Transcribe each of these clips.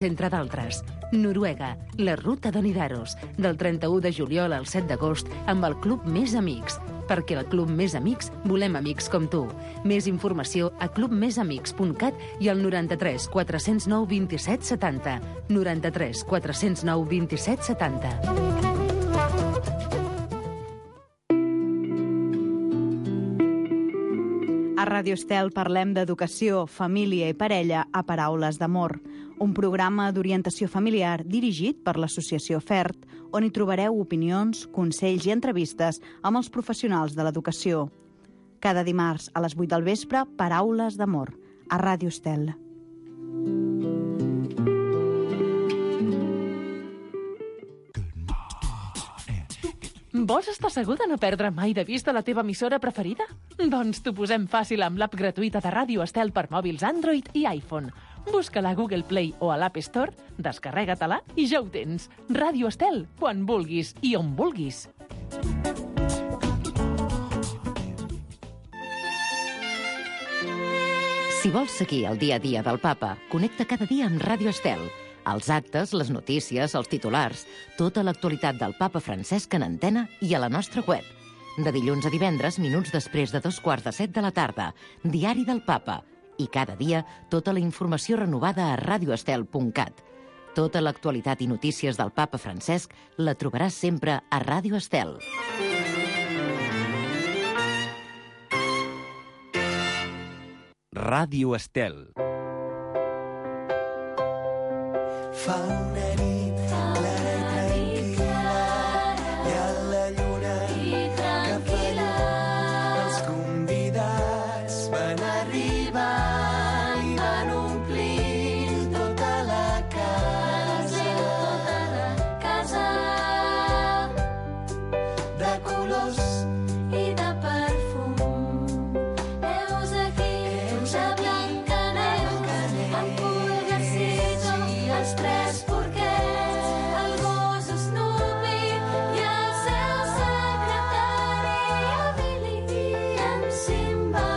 entre d'altres. Noruega, la ruta de Nidaros, del 31 de juliol al 7 d'agost, amb el Club Més Amics. Perquè al Club Més Amics volem amics com tu. Més informació a clubmesamics.cat i al 93 409 27 70. 93 409 27 70. A Ràdio Estel parlem d'educació, família i parella a Paraules d'Amor, un programa d'orientació familiar dirigit per l'Associació FERT, on hi trobareu opinions, consells i entrevistes amb els professionals de l'educació. Cada dimarts a les 8 del vespre, Paraules d'Amor, a Ràdio Estel. Vols estar segur de no perdre mai de vista la teva emissora preferida? Doncs t'ho posem fàcil amb l'app gratuïta de Ràdio Estel per mòbils Android i iPhone. Busca-la a Google Play o a l'App Store, descarrega-te-la i ja ho tens. Ràdio Estel, quan vulguis i on vulguis. Si vols seguir el dia a dia del Papa, connecta cada dia amb Ràdio Estel. Els actes, les notícies, els titulars, tota l'actualitat del Papa Francesc en antena i a la nostra web. De dilluns a divendres, minuts després de 2:45 de la tarda, Diari del Papa. I cada dia, tota la informació renovada a radioestel.cat. Tota l'actualitat i notícies del Papa Francesc la trobaràs sempre a Ràdio Estel. Ràdio Estel. Fa una nit clara i tranquil·la i a la lluna cap allà els convidats van arribar i van omplir tota la casa de colors i de perfum. Heus aquí, de Blancaneus, amb pulgarcito i els tres porquets, el gos Snoopy i el seu secretari, el Billy i en Simba.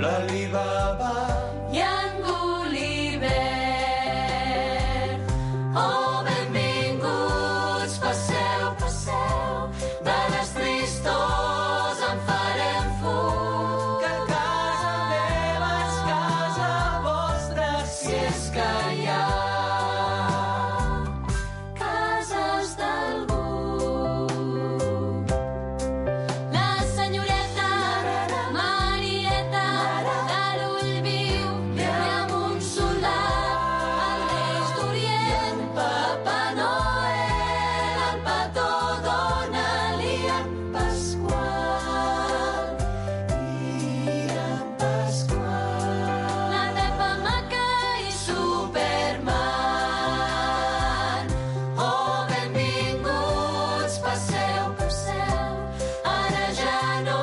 L'Alibaba i en Gulliver. Oh, benvinguts, passeu, passeu, de les tristors en farem fum. Que casa meva és casa vostra, si és que hi ha cases d'algú. La senyoreta Marieta de l'ull viu i amb un soldat, el Reis d'Orient, Papa Noel, el petó dona-li en Pasqual i en Pasqual. La Pepa Maca i Superman. Oh, benvinguts, passeu, passeu, ara ja no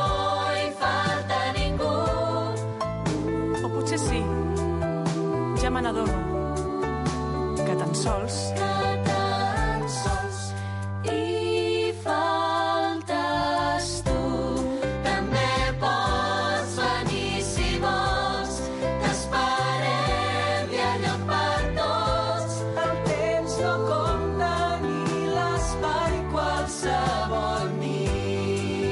hi falta ningú. O potser sí, ja me n'adono, que tan sols Que tan sols hi faltes tu. També pots venir si vols, t'esperem i a lloc per tots. El temps no compta ni l'espai, qualsevol nit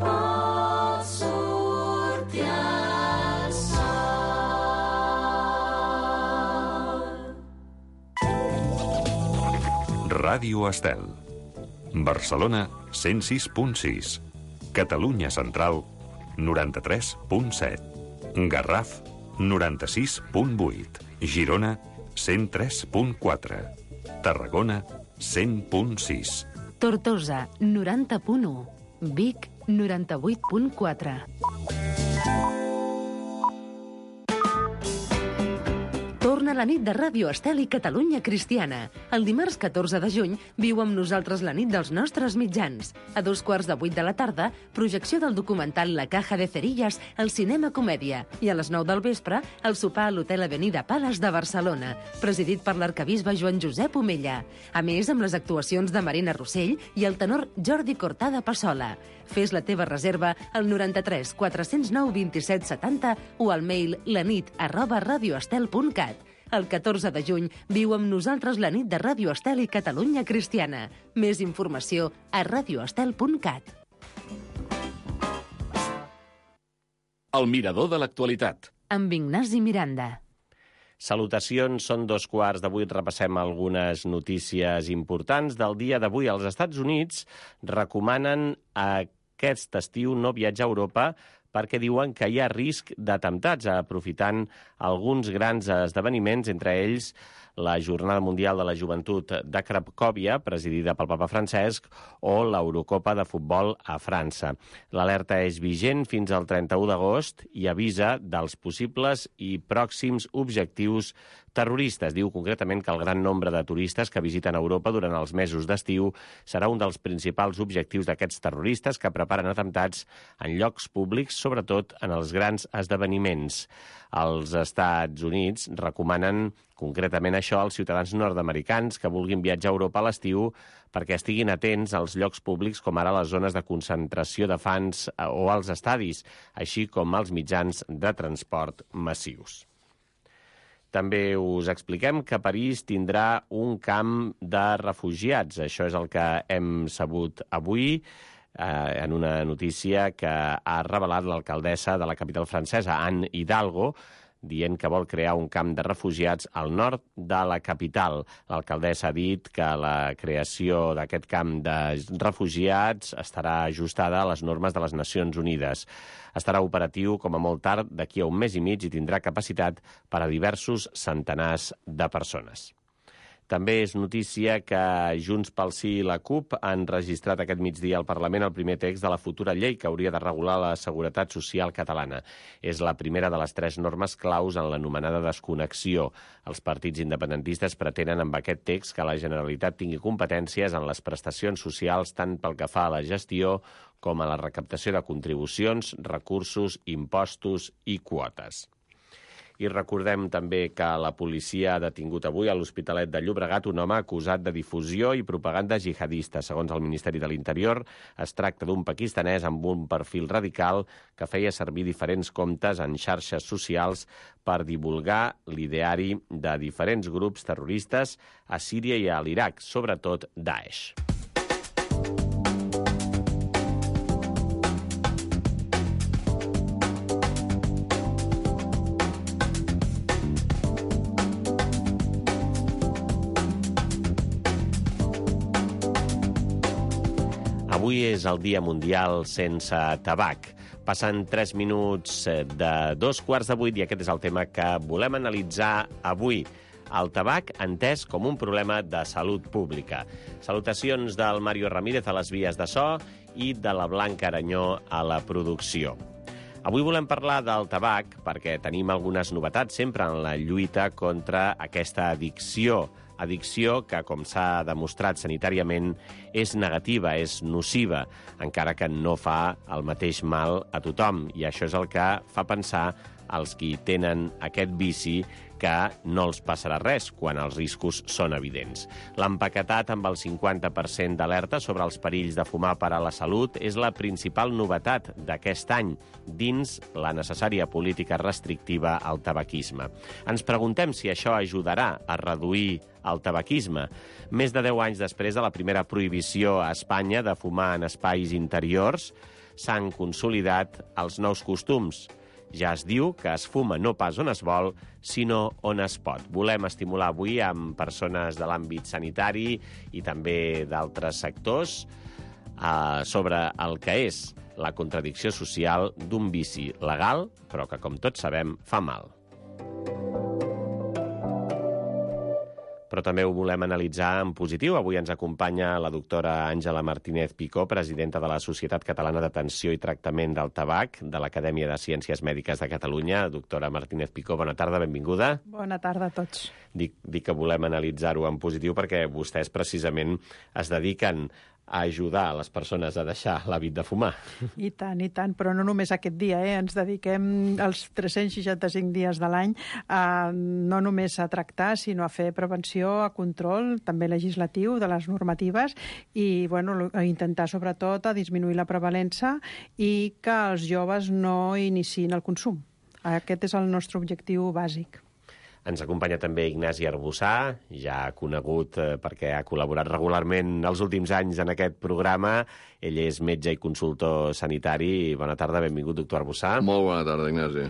pot sortir el sol. Ràdio Estel. Barcelona 106.6. Catalunya Central 93.7. Garraf 96.8. Girona 103.4. Tarragona 100.6. Tortosa, 90.1. Vic, 98.4. Torna la nit de Ràdio Estel i Catalunya Cristiana. El dimarts 14 de juny viu amb nosaltres la nit dels nostres mitjans. A 2:15 de la tarda, projecció del documental La Caja de Cerillas al Cinema Comèdia. I a les 9 del vespre, el sopar a l'Hotel Avenida Palace de Barcelona, presidit per l'arquebisbe Joan Josep Omella. A més, amb les actuacions de Marina Rossell i el tenor Jordi Cortada Passola. Fes la teva reserva al 93 409 27 70 o al mail lanit@radioestel.cat. El 14 de juny viu amb nosaltres la nit de Ràdio Estel i Catalunya Cristiana. Més informació a radioestel.cat. El mirador de l'actualitat. Amb Ignasi Miranda. Salutacions, són 2:15. Repassem algunes notícies importants del dia d'avui. Els Estats Units recomanen aquest estiu no viatjar a Europa perquè diuen que hi ha risc d'atemptats, aprofitant alguns grans esdeveniments, entre ells la Jornada Mundial de la Joventut de Cracòvia, presidida pel papa Francesc, o l'Eurocopa de futbol a França. L'alerta és vigent fins al 31 d'agost i avisa dels possibles i pròxims objectius terroristes. Diu concretament que el gran nombre de turistes que visiten Europa durant els mesos d'estiu serà un dels principals objectius d'aquests terroristes que preparen atemptats en llocs públics, sobretot en els grans esdeveniments. Els Estats Units recomanen concretament això als ciutadans nord-americans que vulguin viatjar a Europa a l'estiu perquè estiguin atents als llocs públics com ara les zones de concentració de fans o als estadis, així com als mitjans de transport massius. També us expliquem que París tindrà un camp de refugiats. Això és el que hem sabut avui en una notícia que ha revelat l'alcaldessa de la capital francesa, Anne Hidalgo, dient que vol crear un camp de refugiats al nord de la capital. L'alcaldessa ha dit que la creació d'aquest camp de refugiats estarà ajustada a les normes de les Nacions Unides. Estarà operatiu com a molt tard d'aquí a un mes i mig i tindrà capacitat per a diversos centenars de persones. També és notícia que Junts pel Sí i la CUP han registrat aquest migdia al Parlament el primer text de la futura llei que hauria de regular la seguretat social catalana. És la primera de les 3 normes claus en l'anomenada desconnexió. Els partits independentistes pretenen amb aquest text que la Generalitat tingui competències en les prestacions socials tant pel que fa a la gestió com a la recaptació de contribucions, recursos, impostos i quotes. I recordem també que la policia ha detingut avui a l'Hospitalet de Llobregat un home acusat de difusió i propaganda jihadista. Segons el Ministeri de l'Interior, es tracta d'un pakistanès amb un perfil radical que feia servir diferents comptes en xarxes socials per divulgar l'ideari de diferents grups terroristes a Síria i a l'Iraq, sobretot Daesh. Avui és el Dia Mundial sense tabac. Passen 3 minuts de 2:15 i aquest és el tema que volem analitzar avui. El tabac entès com un problema de salut pública. Salutacions del Mario Ramírez a les vies de so i de la Blanca Aranyó a la producció. Avui volem parlar del tabac perquè tenim algunes novetats sempre en la lluita contra aquesta addicció que, com s'ha demostrat sanitàriament, és negativa, és nociva, encara que no fa el mateix mal a tothom. I això és el que fa pensar als qui tenen aquest vici que no els passarà res quan els riscos són evidents. L'empaquetat amb el 50% d'alerta sobre els perills de fumar per a la salut és la principal novetat d'aquest any dins la necessària política restrictiva al tabaquisme. Ens preguntem si això ajudarà a reduir el tabaquisme. Més de 10 anys després de la primera prohibició a Espanya de fumar en espais interiors, s'han consolidat els nous costums. Ja es diu que es fuma no pas on es vol, sinó on es pot. Volem estimular avui amb persones de l'àmbit sanitari i també d'altres sectors sobre el que és la contradicció social d'un vici legal, però que, com tots sabem, fa mal. però també ho volem analitzar en positiu. Avui ens acompanya la doctora Àngela Martínez Picó, presidenta de la Societat Catalana d'Atenció i Tractament del Tabac, de l'Acadèmia de Ciències Mèdiques de Catalunya. Doctora Martínez Picó, bona tarda, benvinguda. Bona tarda a tots. Dic que volem analitzar-ho en positiu perquè vostès precisament es dediquen a ajudar les persones a deixar l'hàbit de fumar. I tant, però no només aquest dia, ens dediquem els 365 dies de l'any no només a tractar, sinó a fer prevenció, a control, també legislatiu, de les normatives, i a intentar sobretot a disminuir la prevalença i que els joves no iniciïn el consum. Aquest és el nostre objectiu bàsic. Ens acompanya també Ignasi Arbussà, ja conegut perquè ha col·laborat regularment els últims anys en aquest programa. Ell és metge i consultor sanitari. Bona tarda, benvingut, doctor Arbussà. Molt bona tarda, Ignasi.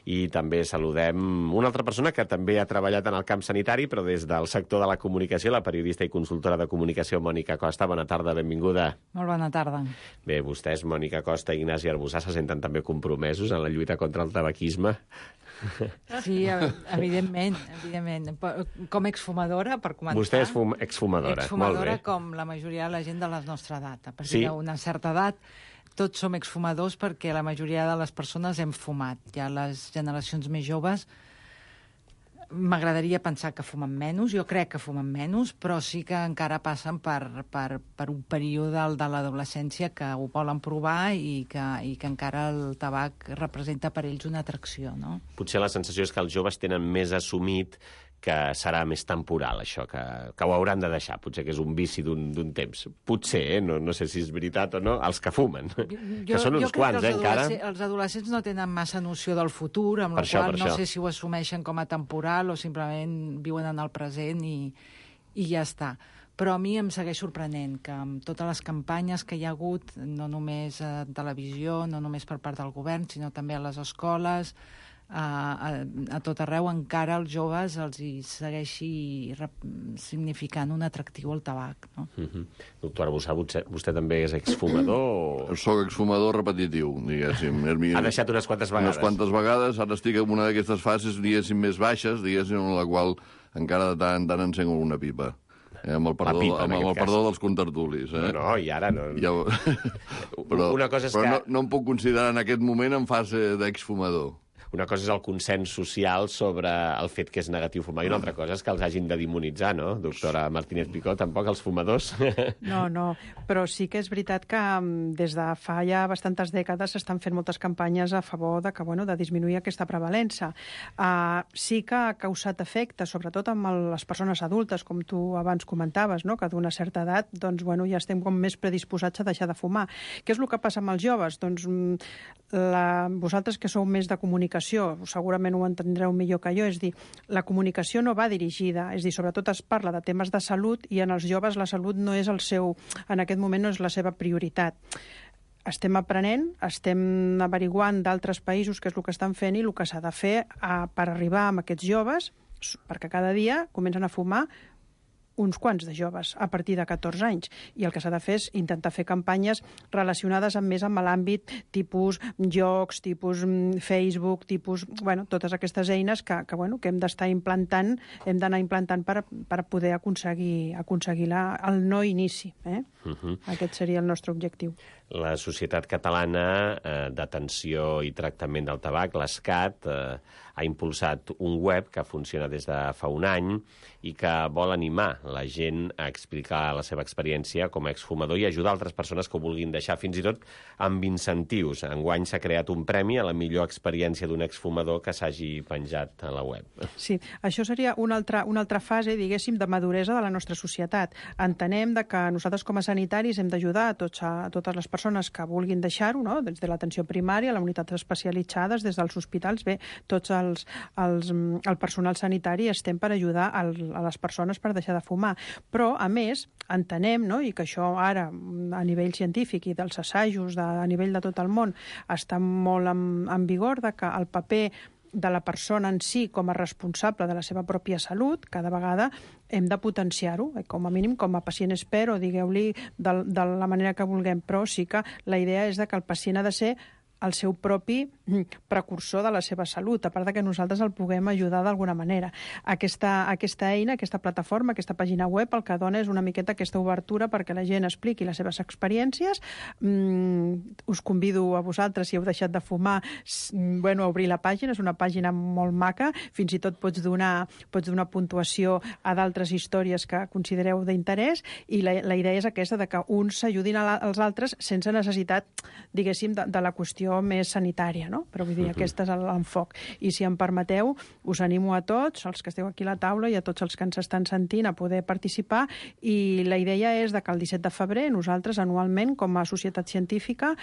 I també saludem una altra persona que també ha treballat en el camp sanitari, però des del sector de la comunicació, la periodista i consultora de comunicació Mònica Costa. Bona tarda, benvinguda. Molt bona tarda. Bé, vostès, Mònica Costa i Ignasi Arbussà, se senten també compromesos en la lluita contra el tabaquisme? Sí, evidentment. Com exfumadora, per començar. Vostè és exfumadora, molt bé. Com la majoria de la gent de la nostra edat. A partir d'una certa edat, tots som exfumadors perquè la majoria de les persones hem fumat. Ja les generacions més joves m'agradaria pensar que fumen menys, jo crec que fumen menys, però sí que encara passen per un període de l'adolescència que ho volen provar i que encara el tabac representa per ells una atracció, no? Potser la sensació és que els joves tenen més assumit que serà més temporal, això, que ho hauran de deixar. Potser que és un vici d'un temps. Potser, no sé si és veritat o no, els que fumen. Que són uns quants, encara. Els adolescents no tenen massa noció del futur, amb la qual no sé si ho assumeixen com a temporal o simplement viuen en el present i ja està. Però a mi em segueix sorprenent que amb totes les campanyes que hi ha hagut, no només a televisió, no només per part del govern, sinó també a les escoles, a tot arreu, encara als joves els hi segueixi significant un atractiu al tabac, no? Doctor Arbussà, vostè també és exfumador? Soc exfumador repetitiu, diguéssim. Ha deixat unes quantes vegades? Unes quantes vegades. Ara estic en una d'aquestes fases, diguéssim, més baixes, diguéssim, en la qual encara de tant en tant encengo una pipa. Amb el perdó dels contertulis. No, i ara no. Una cosa és que no em puc considerar en aquest moment en fase d'exfumador. Una cosa és el consens social sobre el fet que és negatiu fumar i una altra cosa és que els hagin de demonitzar, no? Doctora Martínez Picó, tampoc els fumadors? No, però sí que és veritat que des de fa ja bastantes dècades s'estan fent moltes campanyes a favor de disminuir aquesta prevalença. Sí que ha causat efecte, sobretot amb les persones adultes, com tu abans comentaves, no? Que d'una certa edat ja estem com més predisposats a deixar de fumar. Què és el que passa amb els joves? Doncs vosaltres que sou més de comunicació, segurament ho entendreu millor que jo, és dir, la comunicació no va dirigida, és dir, sobretot es parla de temes de salut i en els joves la salut no és en aquest moment no és la seva prioritat. Estem aprenent, estem averiguant d'altres països què és el que estan fent i el que s'ha de fer per arribar amb aquests joves, perquè cada dia comencen a fumar uns quants de joves a partir de 14 anys. I el que s'ha de fer és intentar fer campanyes relacionades més amb l'àmbit tipus jocs, tipus Facebook, tipus, totes aquestes eines que hem d'estar implantant, hem d'anar implantant per poder aconseguir el no inici. Aquest seria el nostre objectiu. La Societat Catalana d'Atenció i Tractament del Tabac, l'ESCAT, ha impulsat un web que funciona des de fa un any i que vol animar la gent a explicar la seva experiència com a exfumador i ajudar altres persones que ho vulguin deixar, fins i tot amb incentius. Enguany s'ha creat un premi a la millor experiència d'un exfumador que s'hagi penjat a la web. Sí, això seria una altra fase, diguéssim, de maduresa de la nostra societat. Entenem que nosaltres com a sanitaris hem d'ajudar a totes les persones que vulguin deixar-ho, no? Des de l'atenció primària, les unitats especialitzades, des dels hospitals, tots el personal sanitari estem per ajudar a les persones per deixar de fumar. Però, a més, entenem, no? I que això ara, a nivell científic i dels assajos a nivell de tot el món, està molt en vigor de que el paper de la persona en si com a responsable de la seva pròpia salut, cada vegada hem de potenciar-ho, com a mínim com a pacient expert, o digueu-li de la manera que vulguem, però sí que la idea és que el pacient ha de ser el seu propi precursor de la seva salut, a part de que nosaltres el puguem ajudar d'alguna manera. Aquesta eina, aquesta plataforma, aquesta pàgina web, el que dona és una miqueta aquesta obertura perquè la gent expliqui les seves experiències. Us convido a vosaltres, si heu deixat de fumar, a obrir la pàgina. És una pàgina molt maca. Fins i tot pots donar puntuació a d'altres històries que considereu d'interès, i la idea és aquesta, de que uns s'ajudin als altres sense necessitat, diguéssim, de la qüestió més sanitària, no? Però vull dir, aquest és l'enfoc. I si em permeteu, us animo a tots, els que esteu aquí a la taula i a tots els que ens estan sentint, a poder participar, i la idea és que el 17 de febrer nosaltres anualment, com a societat científica,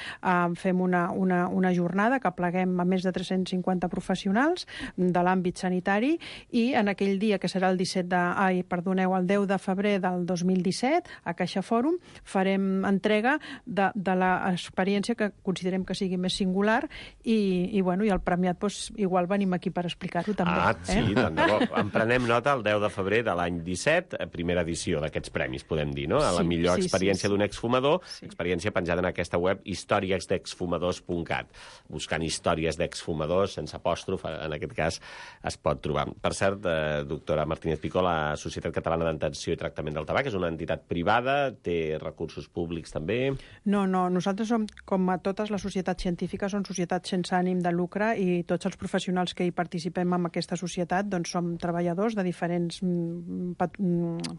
fem una jornada que pleguem a més de 350 professionals de l'àmbit sanitari, i en aquell dia, que serà el 10 de febrer del 2017, a Caixa Fòrum, farem entrega de l'experiència que considerem que sigui més singular, i el premiat, igual venim aquí per explicar-ho també. Sí, tant de bo. En prenem nota el 10 de febrer de l'any 17, primera edició d'aquests premis, podem dir, no? A la millor experiència d'un exfumador, experiència penjada en aquesta web historiesdexfumadors.cat. Buscant històries d'exfumadors, sense apòstrof, en aquest cas, es pot trobar. Per cert, doctora Martínez Picó, la Societat Catalana d'Atenció i Tractament del Tabac és una entitat privada, té recursos públics també? No, nosaltres som, com a totes les societats científiques, som societats sense ànim de lucre, i tots els professionals que hi participem en aquesta societat som treballadors de diferents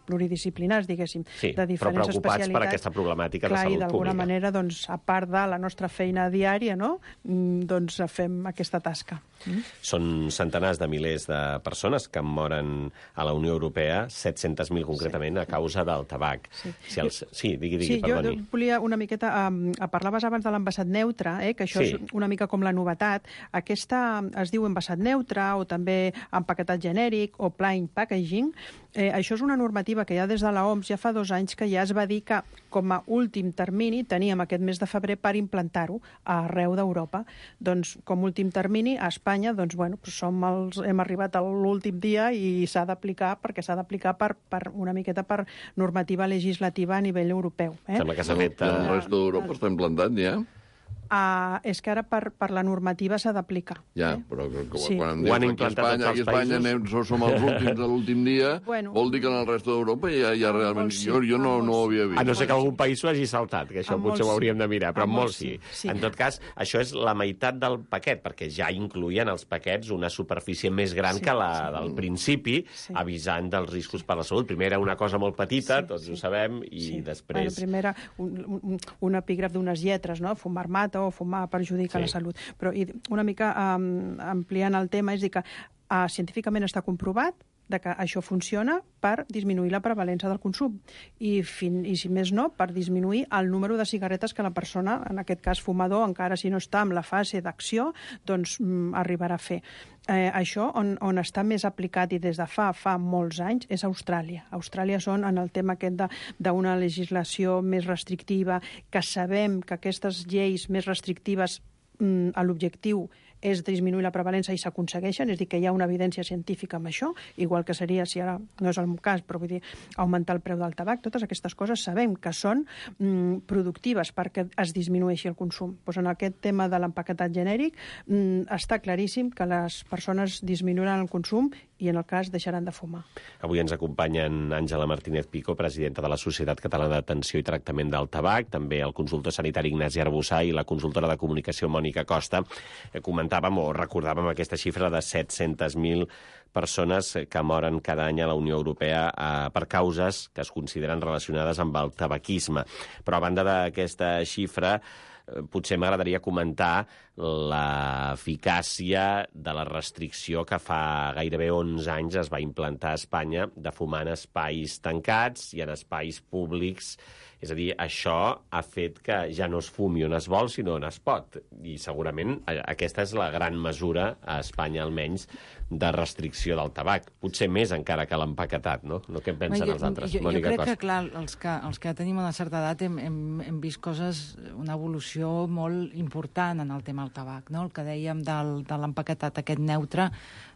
pluridisciplinars, diguéssim, de diferents especialitats. Però preocupats per aquesta problemàtica de salut pública. I d'alguna manera, a part de la nostra feina diària, fem aquesta tasca. Són centenars de milers de persones que moren a la Unió Europea, 700.000 concretament, a causa del tabac. Digui, perdoni. Jo volia una miqueta... Parlaves abans de l'envasat neutre, que això és una mica com la novetat. Aquesta es diu envasat neutre, o també empaquetat genèric, o plain packaging. Això és una normativa que ja des de l'OMS ja fa 2 anys que ja es va dir que, com a últim termini, teníem aquest mes de febrer per implantar-ho arreu d'Europa. Doncs, com a últim termini, a Espanya, hem arribat a l'últim dia i s'ha d'aplicar, perquè s'ha d'aplicar una miqueta per normativa legislativa a nivell europeu. Sembla que s'ha fet... El resto d'Europa està implantat, ja? És que ara per la normativa s'ha d'aplicar. Ja, però quan dius que a Espanya som els últims de l'últim dia, vol dir que en el resto d'Europa ja realment... Jo no ho havia vist. A no ser que algun país s'ho hagi saltat, que això potser ho hauríem de mirar, però molts sí. En tot cas, això és la meitat del paquet, perquè ja incluïen els paquets una superfície més gran que la del principi, avisant dels riscos per la salut. Primer era una cosa molt petita, tots ho sabem, i després... Primer era un epígraf d'unes lletres, no? Fumar mata, o fumar perjudica la salut. Però una mica ampliant el tema, és dir que científicament està comprovat que això funciona per disminuir la prevalença del consum i si més no, per disminuir el número de cigarretes que la persona, en aquest cas fumador, encara si no està en la fase d'acció, arribarà a fer. Això on està més aplicat i des de fa molts anys és Austràlia. Austràlia són en el tema aquest d'una legislació més restrictiva, que sabem que aquestes lleis més restrictives l'objectiu és disminuir la prevalença i s'aconsegueixen, és a dir, que hi ha una evidència científica amb això, igual que seria, si ara no és el cas, però vull dir, augmentar el preu del tabac. Totes aquestes coses sabem que són productives perquè es disminueixi el consum. Doncs en aquest tema de l'empaquetat genèric està claríssim que les persones disminuiran el consum i en el cas deixaran de fumar. Avui ens acompanyen Àngela Martínez Picó, presidenta de la Societat Catalana d'Atenció i Tractament del Tabac, també el consultor sanitari Ignasi Arbussà i la consultora de comunicació Mònica Costa. Recordàvem aquesta xifra de 700.000 persones que moren cada any a la Unió Europea per causes que es consideren relacionades amb el tabaquisme. Però a banda d'aquesta xifra, potser m'agradaria comentar l'eficàcia de la restricció que fa gairebé 11 anys es va implantar a Espanya de fumar en espais tancats i en espais públics. És a dir, això ha fet que ja no es fumi on es vol, sinó on es pot. I segurament aquesta és la gran mesura, a Espanya almenys, de restricció del tabac. Potser més encara que l'empaquetat, no? No què en pensen els altres? Jo crec que, clar, els que ja tenim una certa edat hem vist coses, una evolució molt important en el tema el tabac, no? El que dèiem de l'empaquetat aquest neutre,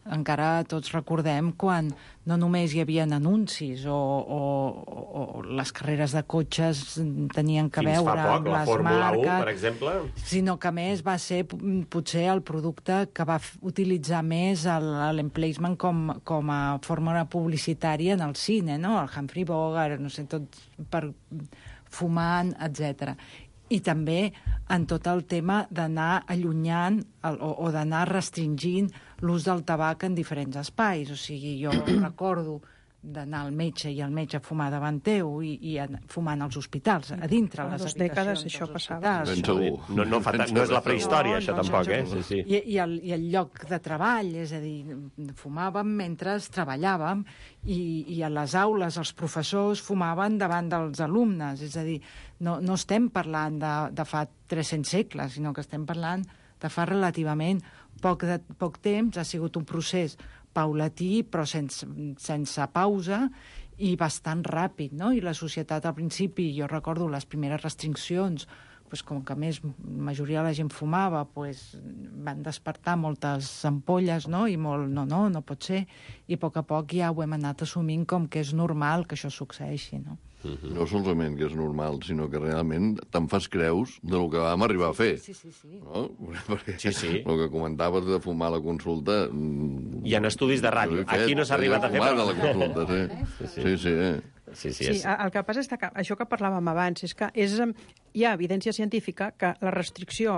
encara tots recordem quan no només hi havia anuncis o les carreres de cotxes tenien que veure amb les marques... Fins fa poc, la Fórmula 1, per exemple. Sinó que, més, va ser potser el producte que va utilitzar més l'emplacement com a fórmula publicitària en el cine, no? El Humphrey Bogart, no sé, tot per fumant, etc. I també en tot el tema d'anar allunyant o d'anar restringint l'ús del tabac en diferents espais. O sigui, jo recordo d'anar al metge i el metge fumar davant teu i fumant als hospitals, a dintre les habitacions dècades això passava. No és la prehistòria, això tampoc, eh? Sí. I el lloc de treball, és a dir, fumàvem mentre treballàvem i a les aules els professors fumaven davant dels alumnes, és a dir, no estem parlant de fa 300 segles, sinó que estem parlant de fa relativament poc temps. Ha sigut un procés paulatí, però sense pausa i bastant ràpid, no? I la societat, al principi, jo recordo les primeres restriccions, com que més majoria de la gent fumava, van despertar moltes ampolles, no? I molt, no pot ser. I a poc ja ho hem anat assumint com que és normal que això succeeixi, no? No solament que és normal, sinó que realment te'n fas creus del que vam arribar a fer. Sí. No? Perquè el que comentaves de fumar a la consulta... Hi ha estudis de ràdio. Aquí no s'ha arribat a fer... Fumar a la consulta, sí. Sí, el que passa és que això que parlàvem abans és que hi ha evidència científica que la restricció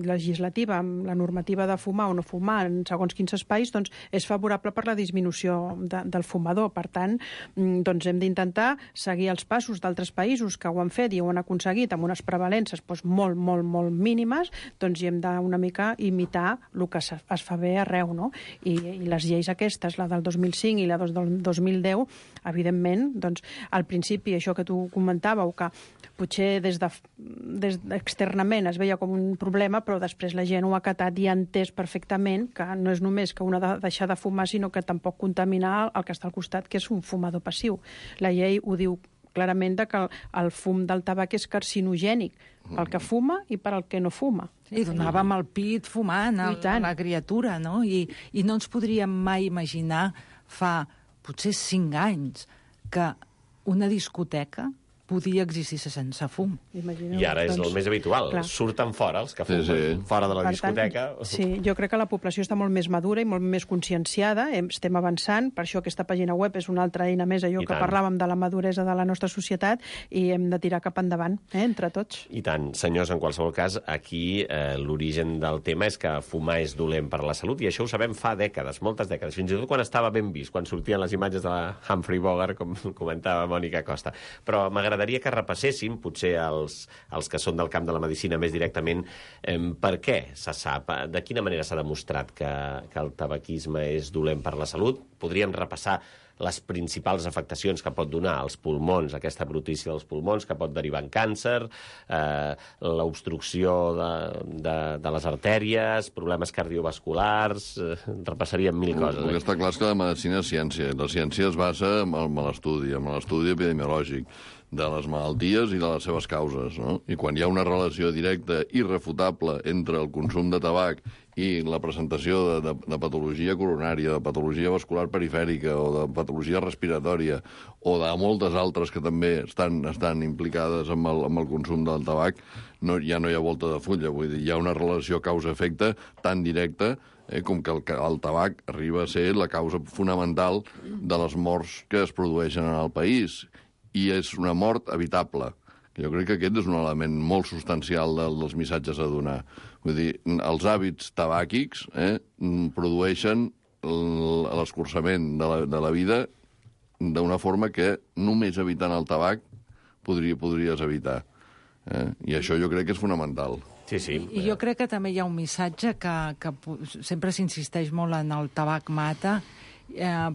legislativa, amb la normativa de fumar o no fumar en segons quins espais, doncs és favorable per la disminució del fumador. Per tant, doncs hem d'intentar seguir els passos d'altres països que ho han fet i ho han aconseguit amb unes prevalences molt, molt, molt mínimes, doncs hi hem d'una mica imitar el que es fa bé arreu, no? I les lleis aquestes, la del 2005 i la del 2010, evidentment, doncs al principi, això que tu comentàveu, que potser externament es veia com un problema, però després la gent ho ha acatat i ha entès perfectament que no és només que un ha de deixar de fumar, sinó que tampoc contaminar el que està al costat, que és un fumador passiu. La llei ho diu clarament que el fum del tabac és carcinogènic pel que fuma i per al que no fuma. I donàvem el pit fumant a la criatura, no? I no ens podríem mai imaginar fa potser 5 anys que una discoteca podia existir sense fum. I ara és el més habitual. Clar. Surten fora els que fumen, fora de la discoteca. Sí, jo crec que la població està molt més madura i molt més conscienciada, estem avançant, per això aquesta pàgina web és una altra eina més, allò que parlàvem de la maduresa de la nostra societat, i hem de tirar cap endavant, entre tots. I tant. Senyors, en qualsevol cas, aquí l'origen del tema és que fumar és dolent per a la salut, i això ho sabem fa dècades, moltes dècades, fins i tot quan estava ben vist, quan sortien les imatges de la Humphrey Bogart, com comentava Mònica Costa. Però m'agradaria que repasséssim, potser els que són del camp de la medicina més directament, per què se sap, de quina manera s'ha demostrat que el tabaquisme és dolent per la salut. Podríem repassar les principals afectacions que pot donar als pulmons, aquesta brutícia dels pulmons, que pot derivar en càncer, l'obstrucció de les artèries, problemes cardiovasculars, repassaríem 1000 coses. El que està clar és que la medicina és ciència. La ciència es basa en l'estudi epidemiològic de les malalties i de les seves causes, no? I quan hi ha una relació directa i irrefutable entre el consum de tabac i la presentació de patologia coronària, de patologia vascular perifèrica o de patologia respiratòria o de moltes altres que també estan implicades amb el consum del tabac, ja no hi ha volta de fulla. Vull dir, hi ha una relació causa-efecte tan directa com que el tabac arriba a ser la causa fonamental de les morts que es produeixen en el país. I és una mort evitable. Jo crec que aquest és un element molt substancial dels missatges a donar. Vull dir, els hàbits tabàquics produeixen l'escurçament de la vida d'una forma que només evitant el tabac podries evitar. I això jo crec que és fonamental. Sí. I jo crec que també hi ha un missatge que sempre s'insisteix molt en el tabac mata,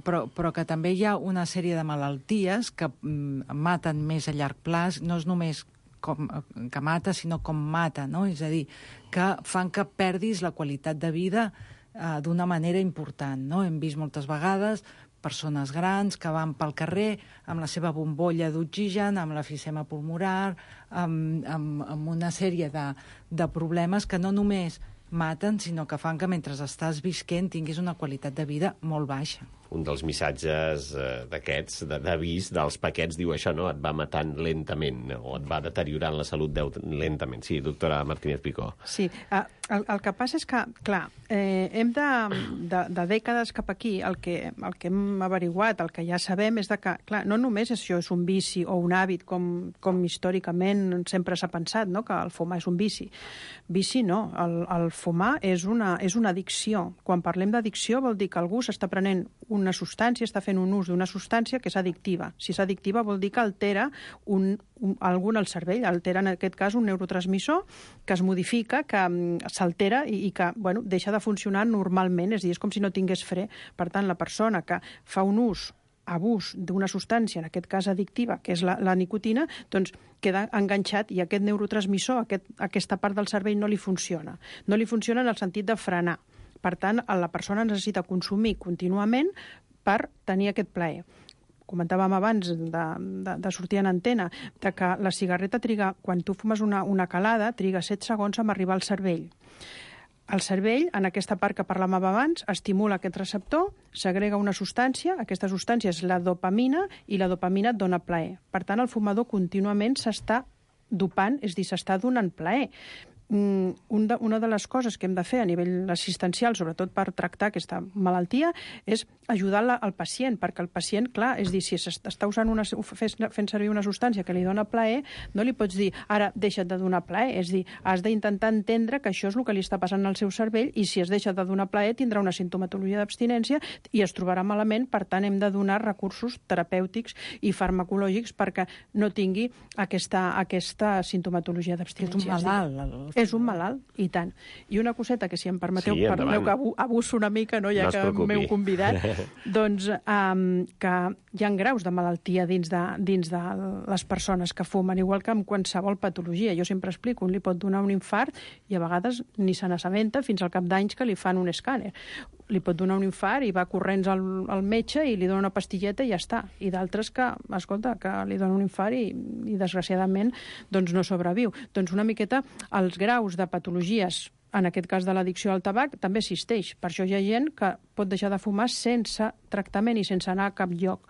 però que també hi ha una sèrie de malalties que maten més a llarg plaç, no és només que mata, sinó com mata, no? És a dir, que fan que perdis la qualitat de vida d'una manera important, no? Hem vist moltes vegades persones grans que van pel carrer amb la seva bombolla d'oxigen, amb l'efisema pulmonar, amb una sèrie de problemes que no només maten, sinó que fan que mentre estàs visquent tinguis una qualitat de vida molt baixa. Un dels missatges d'aquests, d'avís, dels paquets, diu això, no? Et va matant lentament, o et va deteriorant la salut lentament. Sí, doctora Martínez Picó. Sí, el que passa és que, clar, hem de dècades cap aquí, el que hem averiguat, el que ja sabem, és que, clar, no només això és un vici o un hàbit, com històricament sempre s'ha pensat, no?, que el fumar és un vici. Vici no, el fumar és una addicció. Quan parlem d'addicció vol dir que algú s'està prenent una substància, està fent un ús d'una substància que és addictiva. Si és addictiva vol dir que altera algun al cervell, altera en aquest cas un neurotransmissor que es modifica, que s'altera i que deixa de funcionar normalment, és a dir, és com si no tingués fre. Per tant, la persona que fa un abús d'una substància, en aquest cas addictiva, que és la nicotina, doncs queda enganxat i aquest neurotransmissor, aquesta part del cervell no li funciona. No li funciona en el sentit de frenar. Per tant, la persona necessita consumir contínuament per tenir aquest plaer. Comentàvem abans de sortir en antena, de que la cigarreta triga, quan tu fumes una calada, triga 7 segons en arribar al cervell. El cervell, en aquesta part que parlàvem abans, estimula aquest receptor, segrega una substància, aquesta substància és la dopamina, i la dopamina et dona plaer. Per tant, el fumador contínuament s'està dopant, és a dir, s'està donant plaer. Una de les coses que hem de fer a nivell assistencial, sobretot per tractar aquesta malaltia, és ajudar al pacient, perquè el pacient, clar, és dir, si està fent servir una substància que li dona plaer, no li pots dir, ara deixa't de donar plaer, és dir, has d'intentar entendre que això és el que li està passant al seu cervell i si es deixa de donar plaer tindrà una sintomatologia d'abstinència i es trobarà malament, per tant hem de donar recursos terapèutics i farmacològics perquè no tingui aquesta sintomatologia d'abstinència. És un malalt. És un malalt, i tant. I una coseta que, si em permeteu, perdoneu que abuso una mica, no, ja que m'heu convidat, doncs que hi ha graus de malaltia dins de les persones que fumen, igual que amb qualsevol patologia. Jo sempre explico, un li pot donar un infart i a vegades ni se n'assabenta fins al cap d'anys que li fan un escàner. Li pot donar un infart i va corrents al metge i li dona una pastilleta i ja està. I d'altres que, escolta, que li dona un infart i desgraciadament doncs no sobreviu. Doncs una miqueta els graus de patologies, en aquest cas de l'addicció al tabac, també existeix. Per això hi ha gent que pot deixar de fumar sense tractament i sense anar a cap lloc.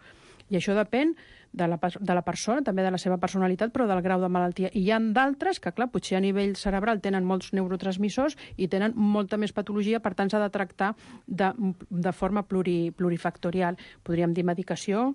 I això depèn de la persona, també de la seva personalitat, però del grau de malaltia. I hi ha d'altres que, clar, potser a nivell cerebral tenen molts neurotransmissors i tenen molta més patologia, per tant s'ha de tractar de forma plurifactorial. Podríem dir medicació,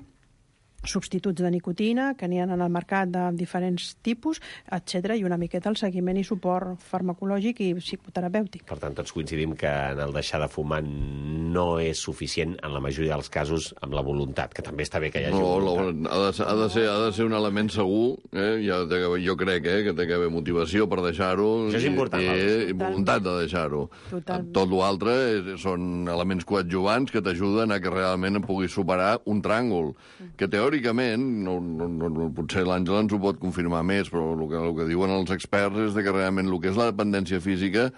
substituts de nicotina, que n'hi ha en el mercat de diferents tipus, etc. i una miqueta el seguiment i suport farmacològic i psicoterapèutic. Per tant, tots coincidim que en el deixar de fumar no és suficient, en la majoria dels casos, amb la voluntat, que també està bé que hi hagi voluntat. Ha de ser un element segur, jo crec que té que haver motivació per deixar-ho. Això és important. I voluntat de deixar-ho. Tot l'altre són elements coadjuvants que t'ajuden a que realment puguis superar un tràngol, que teòricament, potser l'Àngela ens ho pot confirmar més, però el que diuen els experts és que realment el que és la dependència física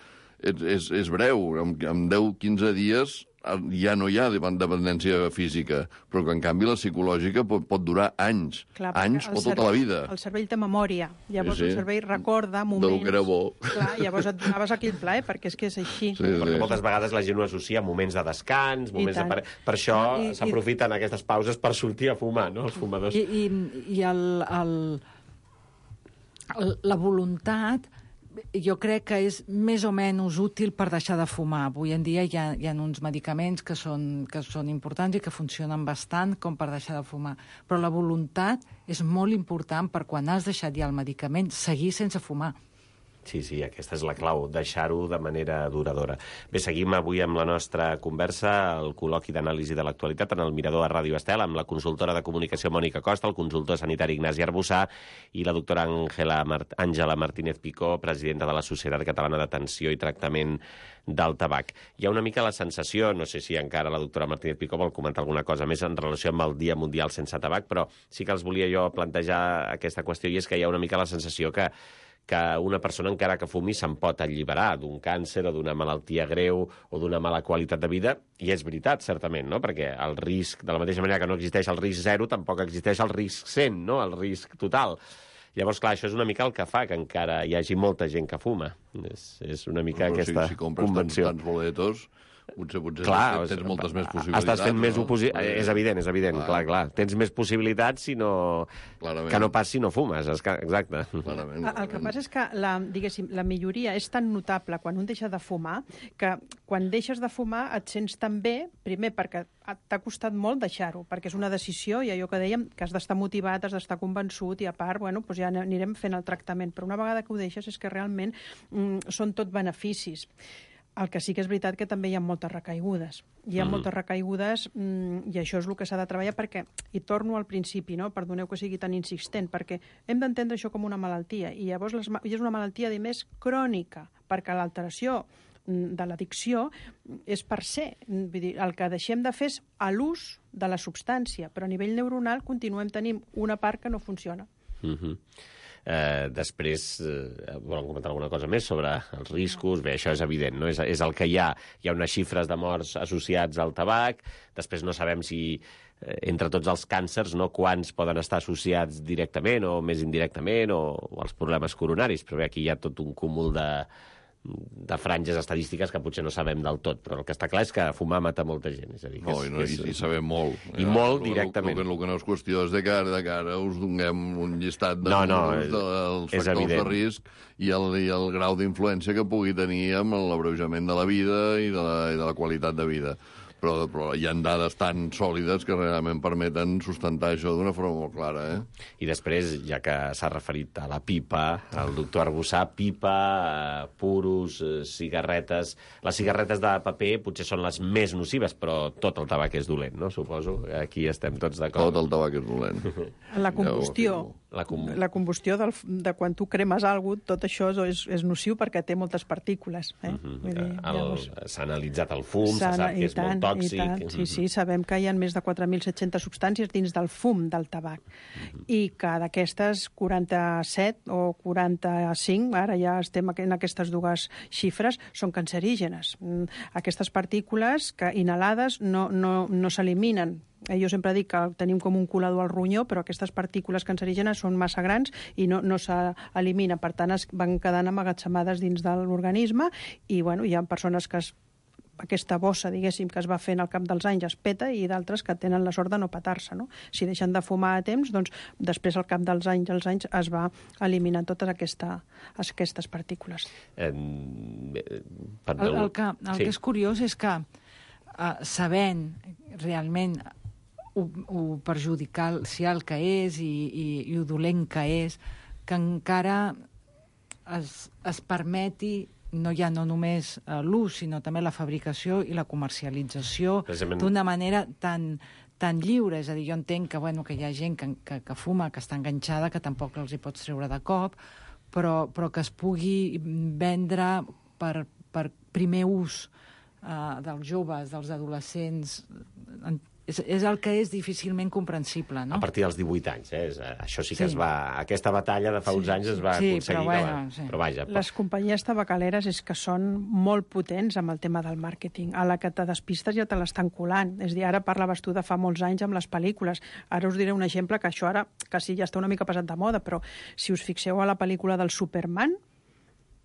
és breu. En 10-15 dies ja no hi ha dependència física, però que en canvi la psicològica pot durar anys, anys o tota la vida. El cervell té memòria, llavors el cervell recorda moments... Del que era bo. Clar, llavors et donaves aquell plaer, perquè és que és així. Perquè moltes vegades la gent ho associa a moments de descans, moments de... Per això s'aprofiten aquestes pauses per sortir a fumar, no?, els fumadors. I la voluntat... jo crec que és més o menys útil per deixar de fumar. Avui en dia hi ha uns medicaments que són importants i que funcionen bastant com per deixar de fumar. Però la voluntat és molt important per quan has deixat ja el medicament, seguir sense fumar. Sí, aquesta és la clau, deixar-ho de manera duradora. Bé, seguim avui amb la nostra conversa, el col·loqui d'anàlisi de l'actualitat en el Mirador a Ràdio Estel, amb la consultora de comunicació Mònica Costa, el consultor sanitari Ignasi Arbussà i la doctora Àngela Martínez Picó, presidenta de la Societat Catalana d'Atenció i Tractament del Tabac. Hi ha una mica la sensació, no sé si encara la doctora Martínez Picó vol comentar alguna cosa més en relació amb el Dia Mundial sense Tabac, però sí que els volia jo plantejar aquesta qüestió, i és que hi ha una mica la sensació que una persona, encara que fumi, se'n pot alliberar d'un càncer o d'una malaltia greu o d'una mala qualitat de vida, i és veritat, certament, no?, perquè el risc, de la mateixa manera que no existeix el risc 0, tampoc existeix el risc 100, no?, el risc total. Llavors, clar, això és una mica el que fa que encara hi hagi molta gent que fuma. És una mica aquesta si compres convenció. tants boletos, potser clar, tens moltes més possibilitats. Estàs fent més no? És evident, clar. Tens més possibilitats que no pas si no fumes, exacte. Clarament. El que passa és que la milloria és tan notable quan un deixa de fumar que quan deixes de fumar et sents tan bé, primer perquè t'ha costat molt deixar-ho, perquè és una decisió i allò que dèiem, que has d'estar motivat, has d'estar convençut i a part, doncs ja anirem fent el tractament. Però una vegada que ho deixes és que realment són tot beneficis. El que sí que és veritat que també hi ha moltes recaigudes. Hi ha moltes recaigudes i això és el que s'ha de treballar perquè, i torno al principi, no? Perdoneu que sigui tan insistent, perquè hem d'entendre això com una malaltia i llavors és una malaltia, a més, crònica, perquè l'alteració de l'addicció és per ser. Vull dir, el que deixem de fer és l'ús de la substància, però a nivell neuronal continuem tenint una part que no funciona. Després, volen comentar alguna cosa més sobre els riscos? Bé, això és evident, no? És el que hi ha. Hi ha unes xifres de morts associats al tabac, després no sabem si entre tots els càncers, no, quants poden estar associats directament o més indirectament o els problemes coronaris, però bé, aquí hi ha tot un cúmul de franges estadístiques que potser no sabem del tot, però el que està clar és que fumar mata molta gent. És a dir, i sabem molt. I molt directament. El que no és qüestió és de cara us donem un llistat dels factors de risc i el grau d'influència que pugui tenir amb l'abreujament de la vida i de la qualitat de vida. Però hi ha dades tan sòlides que realment permeten sustentar això d'una forma molt clara. I després, ja que s'ha referit a la pipa, el doctor Arbussà, pipa, puros, cigarretes... Les cigarretes de paper potser són les més nocives, però tot el tabac és dolent, no? Suposo. Aquí estem tots d'acord. Tot el tabac és dolent. La combustió. La combustió de quan tu cremes alguna cosa, tot això és nociu perquè té moltes partícules. S'ha analitzat el fum, se sap que és molt tòxic. Sí, sabem que hi ha més de 4.700 substàncies dins del fum del tabac i que d'aquestes 47 o 45, ara ja estem en aquestes dues xifres, són cancerígenes. Aquestes partícules que inhalades no s'eliminen. Jo sempre dic que tenim com un colador al ronyó, però aquestes partícules cancerígenes són massa grans i no s'eliminen. Per tant, es van quedant amagatzemades dins de l'organisme i hi ha persones que aquesta bossa, diguéssim, que es va fent al cap dels anys es peta i d'altres que tenen la sort de no petar-se, no? Si deixen de fumar a temps, doncs després al cap dels anys es va eliminant totes aquestes partícules. El que és curiós és que sabent realment ho perjudicial que és i ho dolent que és, que encara es permeti no només l'ús, sinó també la fabricació i la comercialització d'una manera tan lliure. És a dir, jo entenc que hi ha gent que fuma, que està enganxada, que tampoc els hi pots treure de cop, però que es pugui vendre per primer ús dels joves, dels adolescents. És el que és difícilment comprensible, no? A partir dels 18 anys, això sí que es va... Aquesta batalla de fa uns anys es va aconseguir. Però vaja... Les companyies tabacaleres és que són molt potents amb el tema del màrqueting. A la que te despistes ja te l'estan colant. És a dir, ara parlaves tu de fa molts anys amb les pel·lícules. Ara us diré un exemple que això ara, que sí, ja està una mica passat de moda, però si us fixeu a la pel·lícula del Superman,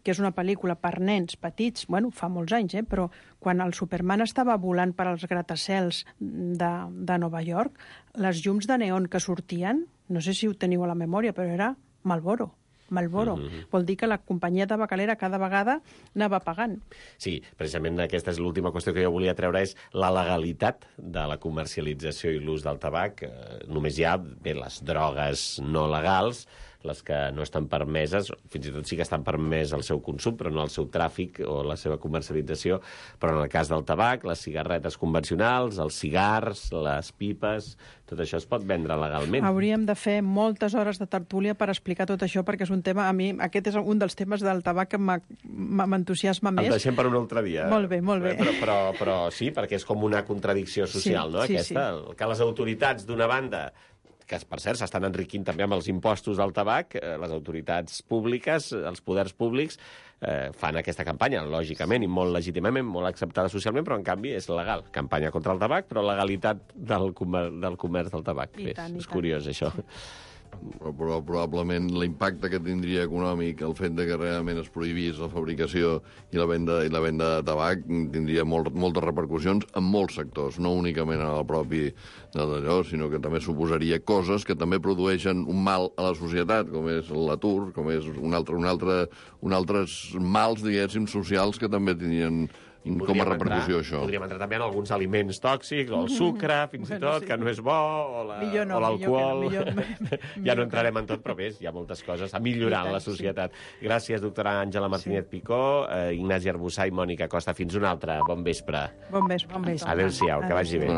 que és una pel·lícula per nens petits, fa molts anys, però quan el Superman estava volant per als gratacels de Nova York, les llums de neon que sortien, no sé si ho teniu a la memòria, però era Marlboro. Vol dir que la companyia tabacalera cada vegada anava pagant. Sí, precisament aquesta és l'última qüestió que jo volia treure, és la legalitat de la comercialització i l'ús del tabac. Només hi ha les drogues no legals, les que no estan permeses, fins i tot sí que estan permès el seu consum, però no el seu tràfic o la seva comercialització, però en el cas del tabac, les cigarretes convencionals, els cigars, les pipes, tot això es pot vendre legalment. Hauríem de fer moltes hores de tertúlia per explicar tot això, perquè és un tema, a mi, aquest és un dels temes del tabac que m'entusiasma més. El deixem per un altre dia. Molt bé. Però sí, perquè és com una contradicció social, no? Aquesta, que les autoritats, d'una banda, que per cert s'estan enriquint també amb els impostos del tabac, les autoritats públiques, els poders públics, fan aquesta campanya, lògicament i molt legítimament, molt acceptada socialment, però en canvi és legal. Campanya contra el tabac, però legalitat del comerç del tabac. És curiós, això. Però probablement l'impacte que tindria econòmic el fet de que realment es prohibís la fabricació i la venda de tabac tindria moltes repercussions en molts sectors, no únicament en el propi d'allò, sinó que també suposaria coses que també produeixen un mal a la societat, com és l'atur, com és un altres mals, diguéssim, socials que també tindrien com a repercussió això. Podríem entrar també en alguns aliments tòxics, o el sucre, fins i tot, que no és bo, o l'alcohol. Ja no entrarem en tot, però bé, hi ha moltes coses a millorar en la societat. Gràcies, doctora Àngela Martínez Picó, Ignasi Arbussà i Mònica Costa. Fins una altra. Bon vespre. Bon vespre. Adéu-siau, que vagi bé.